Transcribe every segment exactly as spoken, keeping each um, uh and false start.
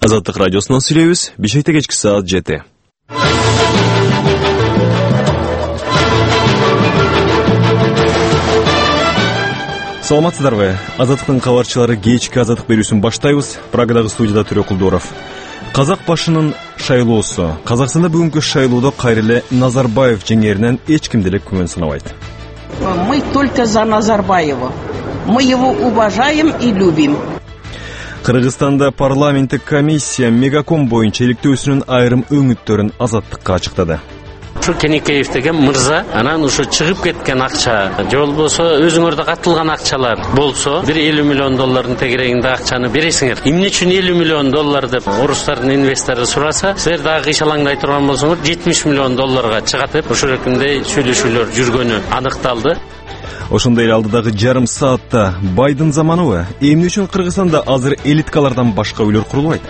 Азаттык радиосунан сүйлөйбүз. Бишкекте кечки саат жети. Саламатсыздарбы? Азаттыктын кабарчылары кечки азаттык берүүсүн баштайбыз. Прагадагы студияда Төрө Кулдуров. Казак башынын шайлоосу. Казакстанда бүгүнкү шайлоодо кайра эле Назарбаев жеңээринен эч ким деле күмөн санабайт. Мы только за Назарбаева. Мы его уважаем и любим. Кыргызстанда парламенттик комиссия Мегаком боюнча иликтөөсүнүн айрым өңүттөрүн азаттыкка ачыктады. Ушу Кенекеев деген мырза анан ушу чыгып кеткен акча же болбосо өзүңөрдө катылган акчалар болсо бир элүү миллион доллардын тегерегинде акчаны бересиңер. Эмне үчүн элүү миллион доллар деп орустардын инвестору сураса, силер дагы кыйшалаңдай турган болсоңор жетимиш миллион долларга чыгат деп ошол экинде сүйлөшүүлөр жүргөнү аныкталды. Ошондой эле алдыдагы жарым саатта Байдын заманыбы? Эмне үчүн Кыргызстанда азыр элиткалардан башка үйлөр курулбайт?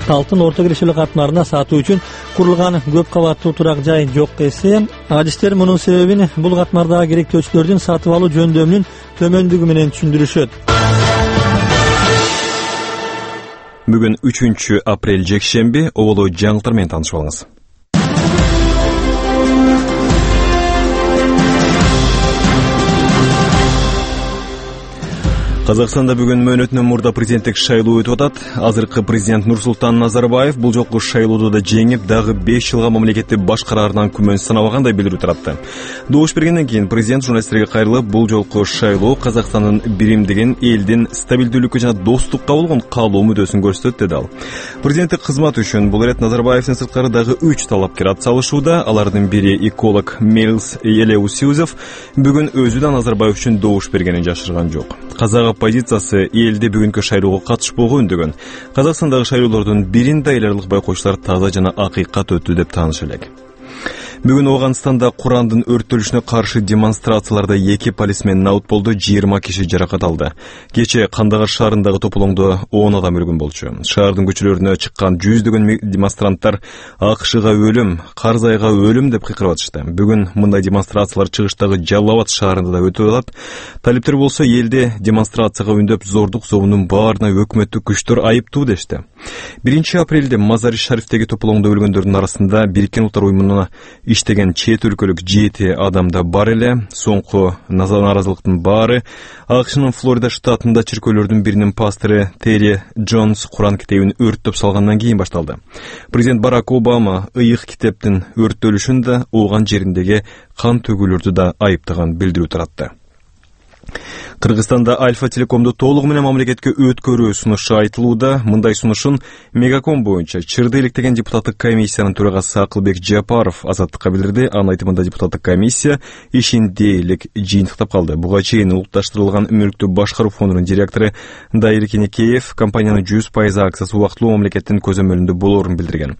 Алтын орто кирешилик катмарына сатуу үчүн курулган көп кабаттуу турак жай жок десе, адистер мунун себебин бул катмардагы керектөөчүлөрдүн сатып алуу жөндөмүнүн төмөндүгү менен түшүндүрүшөт. Бүгүн үчүнчү апрель жекшемби, оболо жаңылыктар менен таанышып алыңыз. Казакстанда бүгүн мөөнөтүнөн мурда президенттик шайлоо өтүп атат. Азыркы президент Нурсултан Назарбаев бул жолку шайлоодо да жеңип, дагы беш жылга мамлекетти башкараарынан күмөн санабагандай билдирүү таратты. Добуш бергенден кийин президент журналисттерге кайрылып, бул жолку шайлоо Казакстандын биримдигин, элдин стабилдүүлүккө жана достукка болгон каалоо мүддөсүн көрсөтөт, деди ал. Президенттик кызмат үчүн бул ирет Назарбаевдин сырткары дагы үч талапкер ат салышууда. Алардын бири эколог Мелс Елеусиузов бүгүн өзү да Назарбаев үчүн добуш бергенин жашырган жок. Казак оппозициясы элде бүгүнкү шайлоого катышпоого үндөгөн. Казакстандагы шайлоолордун биринде эл аралык байкоочулар таза жана акыйкат өттү деп тааныш элек. Бүгүн Ооганстанда Курандын өрттөлүшүнө каршы демонстрацияларда эки полисмен наут болду, жыйырма киши жаракат алды. Кече Кандагар шаарындагы тополоңдо он адам өлгөн болчу. Шаардын көчөлөрүнө чыккан жүздөгөн демонстранттар АКШга өлүм, Карзайга өлүм деп кыйкырып атышты. Бүгүн мындай демонстрациялар чыгыштагы Жалал Абад шаарында да өтүп атат. Талиптер болсо элде демонстрацияга үндөп зордук зобунун баарына өкмөттүк күчтөр айыптуу дешти. биринчи апрелде Мазари Шарифтеги тополоңдо өлгөндөрдүн арасында Бириккен Улуттар уюмуна иштеген чет өлкөлүк жети адамда бар эле. Соңку наразылыктын баары АКШнын Флорида штатында чиркөөлөрдүн биринин пастору Терри Джонс Куран китебин өрттөп салгандан кийин башталды. Президент Барак Обама ыйык китептин өрттөлүшүн да, ооган жериндеги кан төгүүлөрдү да айыптаган билдирүү таратты. Кыргызстанда Альфа Телекомду толугу менен мамлекетке өткөрүү сунушу айтылууда. Мындай сунушун Мегаком боюнча чырды иликтеген депутаттык комиссиянын төрагасы Акылбек Жапаров азаттыкка билдирди. Анын айтымында депутаттык комиссия ишин дээрлик жыйынтыктап калды. Буга чейин улутташтырылган мүлктү башкаруу фондунун директору Дайыр Кенекеев компаниянын жүз пайыз акциясы убактылуу мамлекеттин көзөмөлүндө болоорун билдирген.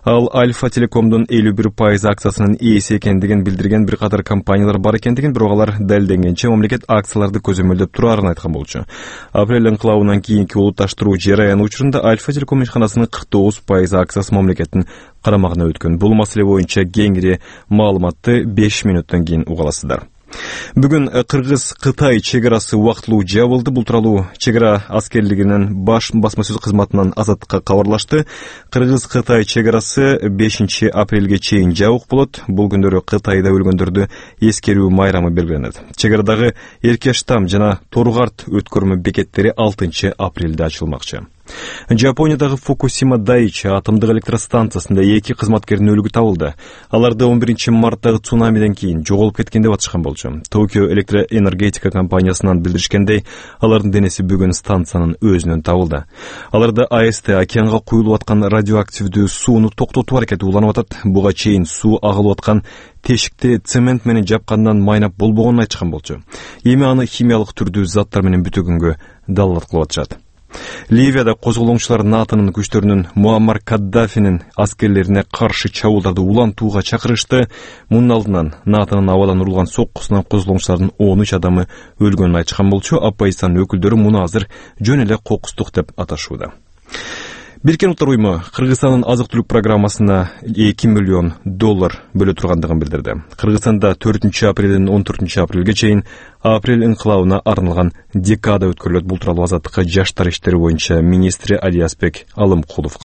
Ал Альфа Телекомдун элүү бир пайыз акциясынын ээси экендигин билдирген, бир катар компаниялар бар экендигин, бирок алар далилденгенче мамлекет акцияларды көзөмөлдөп тураарын айткан болчу. Апрель инкылабынан кийинки улутташтыруу жараяны учурунда Альфа Телеком ишканасынын кырк тогуз пайыз акциясы мамлекеттин карамагына өткөн. Бул маселе боюнча кеңири маалыматты беш мүнөттөн кийин уга аласыздар. Бүгүн Кыргыз-Кытай чегарасы убактылуу жабылды. Бул тууралуу чегара аскерлигинин баш басма сөз кызматынан азаттыкка кабарлашты. Кыргыз-Кытай чегарасы бешинчи апрелге чейин жабык болот. Бул күндөрү Кытайда өлгөндөрдү эскерүү майрамы белгиленет. Чегарадагы Эркештам жана Торгарт өткөрмө бекеттери алтынчы апрелде ачылмакчы. Жапониядагы Фукусима Дайчи атомдук электростанциясында эки кызматкердин өлүгү табылды. Аларды он биринчи марттагы цунамиден кийин жоголуп кеткен деп атышкан болчу. Токио электроэнергетика компаниясынан билдиришкендей, алардын денеси бүгүн станциянын өзүнөн табылды. Аларда АЭСТ океанга куюлуп аткан радиоактивдүү сууну токтотуу аракети уланып атат. Буга чейин суу агылып аткан тешикти цемент менен жапкандан майнап болбогонун айтышкан болчу. Эми аны химиялык түрдүү заттар менен бүтөгөнгө далилат кылып атышат. Ливияда козголоңчулар НАТОнун күчтөрүнүн Муаммар Каддафинин аскерлерине каршы чабуулдарды улантууга чакырышты. Мунун алдынан НАТОнун абадан урулган соккусунан козголоңчулардын он үч адамы өлгөнүн айтышкан болчу. Оппозициянын өкүлдөрү муну азыр жөн эле кокустук деп аташууда. Бириккен Улуттар уюму Кыргызстандын азык-түлүк программасына эки миллион доллар бөлө тургандыгын билдирди. Кыргызстанда төртүнчү апрелден он төртүнчү апрелге чейин апрель инкылабына арналган декада өткөрүлөт. Бул тууралуу азаттыкка жаштар иштери боюнча министри Алиязбек Алымкулов